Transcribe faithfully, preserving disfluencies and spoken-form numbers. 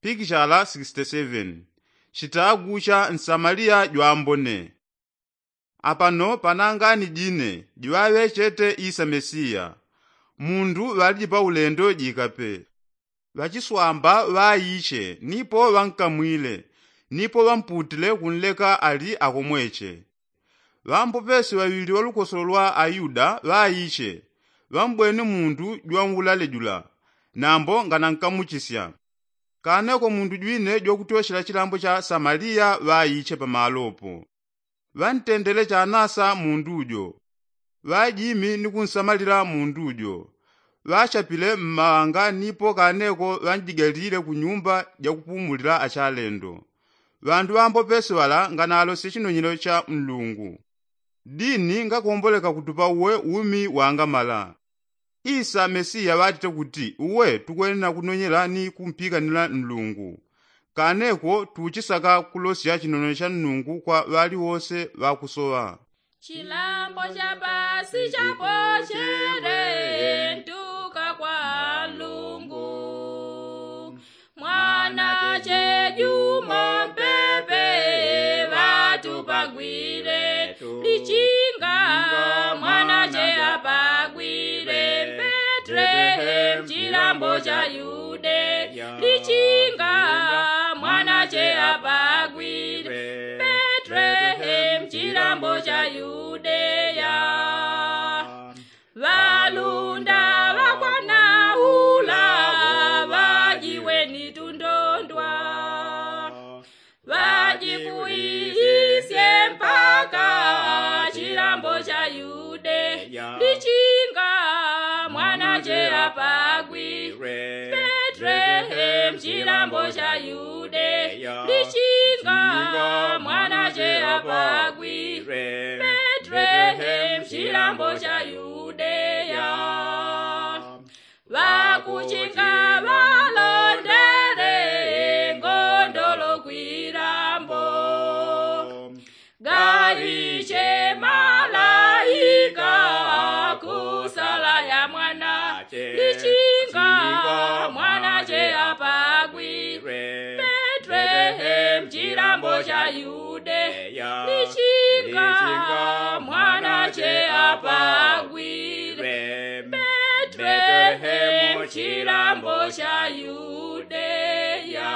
Pikichala sixty seven. Chitagu cha nsamaliya jwambone. Apano panangani jine jiŵaŵechete isa mesiya. Mundu ŵaliji pa ulendo jikape. Ŵachiswamba ŵaiche nipo ŵankamwile, nipo ŵamputile kunleka ali akomweche. Ŵampopesi ŵaŵili ŵalukosolo lwa ayuda ŵaiche, ŵambweni mundu jwanwulale jula, nambo nganankamuchisya. Kaneko mundu jwine jwakutyoshela chilambo cha samaliya ŵaiche pamalopo. Ŵantendele chanasa mundu jo. Ŵajimi ni kunsamalila mundu jo. Ŵachapile mmawanga nipo kaneko ŵanjigalile kunyumba jakupumulila achalendo. Ŵandu ŵambopesi ŵala nganalosye chinonyelo cha nlungu. Dini ngakomboleka kutupa uwe umi wangamala. Isa mesiya ŵatite kuti uwe tukwenena kunonyela ni kumpikanila nlungu. Kaneko tuchisaka kulosya chinonyelo cha nlungu kwa ŵaliwose ŵakusoŵa. Chilambo cha pasi chapochele ntuka kwa nlungu. Mwana che juma mpepe ŵatupagwile lichinga. Mwana che apagwile mpetrehemu chilambo cha yude lichinga. Mwana che apagwile mpetrehemu chilambo cha yudeya. Ŵalunda ŵakwana ula ŵajiweni tundondwa. Ŵajikuisye mpaka chilambo cha yude lichinga. Mwana che apagwile mpetrehemu chilambo cha yude lichinga. Mwana che apagwile mpetrehemu chilambo cha yudeya. Ŵakuchinga ŵalondele ngondolo kwilambo. Gaiche malaika kusala ya mwana lichinga. Mwana che apagwile mpetrehemu chilambo cha yude lichinga. Mwana che apagwile mpetrehemu chilambo cha yudeya.